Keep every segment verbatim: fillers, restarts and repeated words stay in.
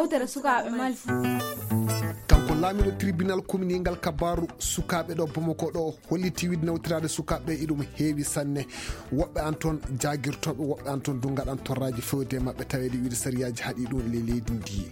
Yewtere sukaaɓe Mali. Kanko laamiɗo tribunal communal ngal, kabaaru sukaaɓe ɗo Bamako ɗo holliti wiide nawtiraade sukaaɓe ɓe iɗum heewi sanne. Woɓɓe an toon jaagirtooɓe, woɓɓe an toon du ngaɗan torraaji fewde e maɓɓe, taweede wiide sariyaaji haɗi ɗum le leydi ndi.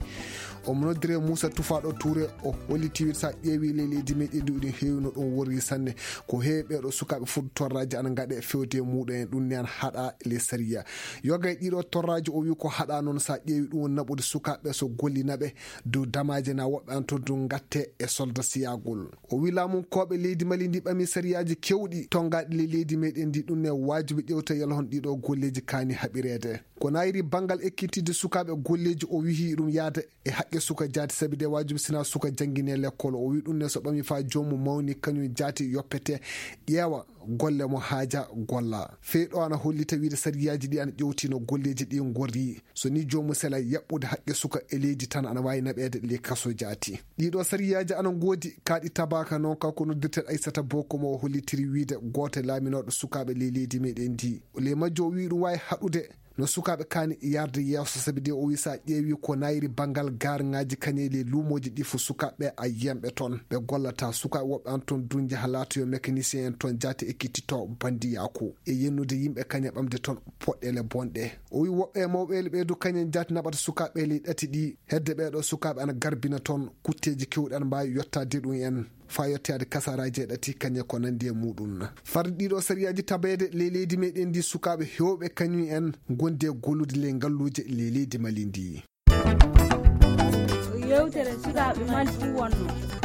Omo noddire Moussa Toufa ɗo Touré, o holliti wiide so a ƴeewi le leydi meɗen ndi, ɗum heewi no ɗum worri sanne. Ko heewi ɓeeɗo sukaaɓe fodde torraaji ana ngaɗe fewde e muɗum en, ɗum ne ana haɗa le sariya. Yoga e ɗiɗo torraaji, o wi ko haɗa noon, so a ƴeewi ɗum woni naɓude sukaaɓe so gollinaɓe dow damaaje na woɓɓe an toon du ngatte e solda siyagol. O wi laamunkooɓe leydi Mali ndi ɓami sariyaaji kewɗi tonngaɗi le leydi meɗen ndi, ɗum ne waajibi ƴewta yalhon ɗiɗo golleeji kaani haɓireede. Ko nayri banngal ekkitidde sukaaɓe golleeji, o wihi ɗum yaade e haqqe suka jaati, sabi de waajibi sina suka janngine lekkol. O wi ɗum ne so ɓami faa joomum mawni kañum jaati yoppete, ƴeewa golle mo haaja golla. Fey ɗo ana hollita wiide sariyaaji ɗi ana ƴewti no golleeji ɗi ngorri. So ni joomum sela yaɓɓude haqqe suka e leydi tan ana waawi naɓeede le kaso jaati. Ɗiɗo sariyaaji ana ngoodi kaaɗi tabaka noon, kanko noddirten Aissata Boko mo o hollitiri wiide gooto laaminooɗo sukaaɓe le leydi meɗen ndi. Le majjo o wi ɗum waawi haɗude no sukaaɓe kaani yarde yeeso, sabi de o wi so a ƴeewi ko nayri banngal gaarŋaaji kañe le luumooji ɗi fo sukaaɓe a yiyan ɓe toon. Ɓe gollata sukaaɓe woɓɓe an toon du njaha laato yo mécanicien en toon jaati ekkitito bandiyaaku. E yennude yimɓe kañe ɓamde toon poɗɗeele bonɗe. O wi woɓɓe e mawɓe le ɓe du kañen jaati naɓata sukaaɓe le ɗati ɗi. Hedde ɓeeɗo sukaaɓe ana garbina toon kutteeji kewɗi ana mbaawi yottaade ɗum en. Faa yettoyaade kasaaraaji e ɗati kañe ko nanndi e muɗum. Far ɗiɗo sariyaaji tabeede le leydi meɗen ndi sukaaɓe heewɓe kañum en ngondi e gollude le ngalluuje le leydi Mali ndi. Yewtere sukaaɓe Mali ɗum wonno.